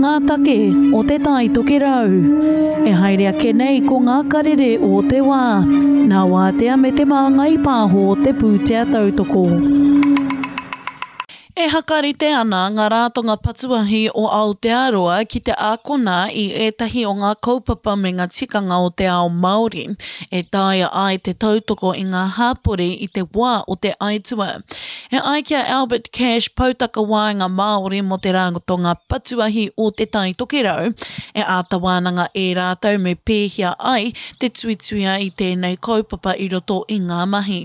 ngā take o Te Tai Tokerau. E haere ake nei ko ngā karere o te wā, nā Wātea me Te Māngai Pāho te pūtea tautoko. E hakarite ana ngā rātonga patuahi o Aotearoa ki te ākona i ētahi o ngā kaupapa me ngā tikanga o te ao Māori e taea ai te tautoko i ngā hāpori i te wā o te aitua. E ai ki a Albert Cash, Poutakawaenga Māori mō te Ratonga Patuahi o Te Tai Tokerau, e āta wānanga e rātou me pēhea ai te tuituia i tēnei kaupapa i roto i ngā mahi.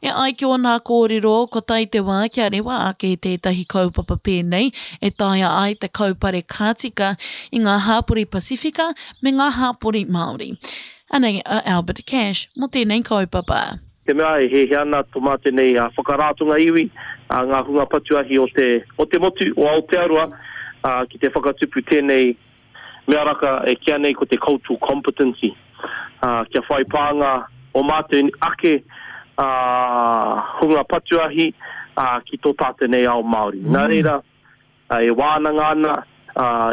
E ai ki ōna kōrero, kua tae te wā kia rewa ake tētahi kaupapa pēnei e taea ai te kaupare ka tika i ngā hāpori Pasifika me ngā hāpori Māori. Anei a Albert Cash mō tēnei kaupapa. Te mea e hiahia ana to mātou nei whakaratonga iwi, ngā hunga patu ahi o te, o te motu, o Aotearoa, ki te whakatupu tēnei mea raka e kīa nei ko te cultural competency, kia whai pānga o mātou ake hunga patu ahi ki tō tātou nei ao Māori. Nā reira, e wānanga ana,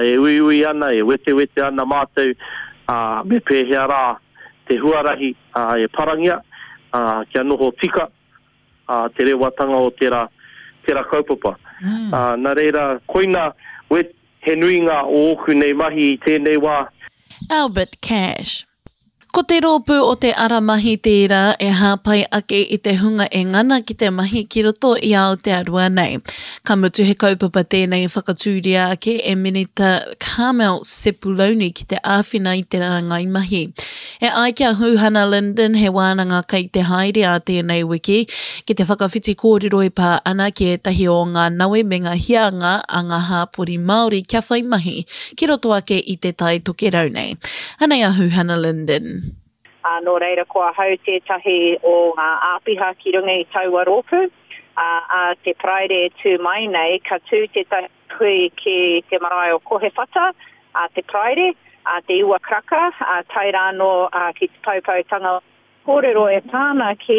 e uiui ana, e wetewete ana mātou me pēhea rā te huarahi e parangia kia noho tika te rewatanga o tērā, tērā kaupapa. Nā reira, koina he nuinga o ōku nei mahi i tēnei wā. Albert Cash. Ko te rōpū o Te Ara Mahi tērā e hāpai ake i te hunga e ngana ki te mahi ki roto i Aotearoa nei. Ka mutu he kaupapa tēnei i whakatūria ake e Minita Carmel Sepuloni ki te āwhina i te rāngai mahi. E ai ki a Huhana Lyndon he wānanga kei te haere ā tēnei wiki ki te whakawhiti kōrero e pā ana ki ētahi o ngā nawe me ngā hianga a ngā hāpori Māori kia whai mahi ki roto ake i Te Tai Tokerau nei. Anei a Huhana Lyndon. Ā, nō reira ko ahau tētahi o ngā āpiha ki runga i taua rōpū. Ā, ā te Paraire e tū mai nei, ka tū tētahi hui ki te marae o Kohewhata, ā te Paraire, ā te iwa karaka, ā, tae rā anō ki te poupoutanga kōrero e pā ana ki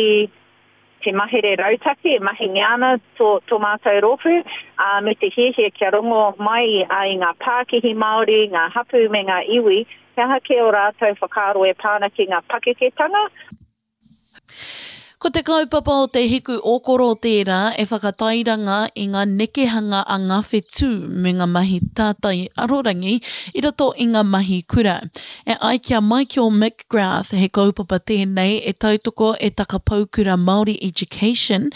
te mahere rautaki e mahingia ana tō, tō mātou rōpū, ā, me te hiahia kia rongo mai i ngā pākihi Māori, ngā hapū me ngā iwi, he aha kē ō rātou whakaaro e pā ana ki ngā pakeketanga. Ko te kaupapa o Te Hiku Okoro tērā e whakatairanga i ngā nekehanga a ngā whetū me ngā mahi tātai arorangi i roto i ngā mahi kura. E ai ki a Michael McGrath, he kaupapa tēnei e tautoko e Takapaukura Māori Education,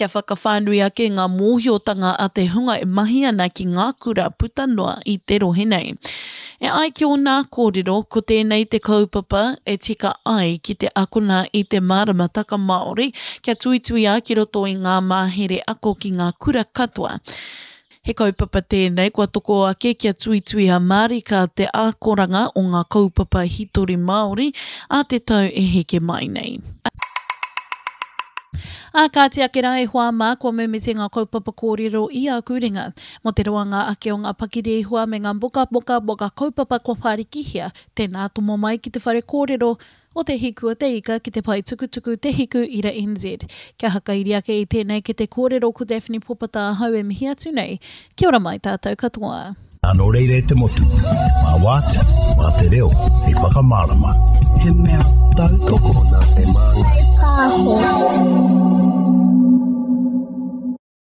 kia whakawhānui ake ngā mōhiotanga a te hunga e mahi ana ki ngā kura puta noa i te rohe nei. E ai ki ōnā kōrero, ko tēnei te kaupapa e tika ai ki te akona i te māramataka Māori kia tuituia ki roto i ngā māhere ako ki ngā kura katoa. He kaupapa tēnei kua toko ake kia tuituia mārika te ākoranga o ngā kaupapa hītori Māori ā te tau e heke mai nei. Ā kāti ake rā e hoa mā, kua mimiti ngā kaupapa kōrero i āku ringa. Mō te roanga ake o ngā pakirehua me ngā mokamoka mō ngā kaupapa kua whārikihia, tēnā tomo mai ki te whare kōrero o Te Hiku o te Ika ki te pae tukutuku Te Hiku Ira NZ. Kia hakairi ake i tēnei kete kōrero ko Daphne Popata ahau e mihi atu nei. Kia ora mai tātou katoa. Nō reira e te motu, mā Wātea, mā te reo hei whakamārama. He mea tautoko. Nā te Māngai Pāho.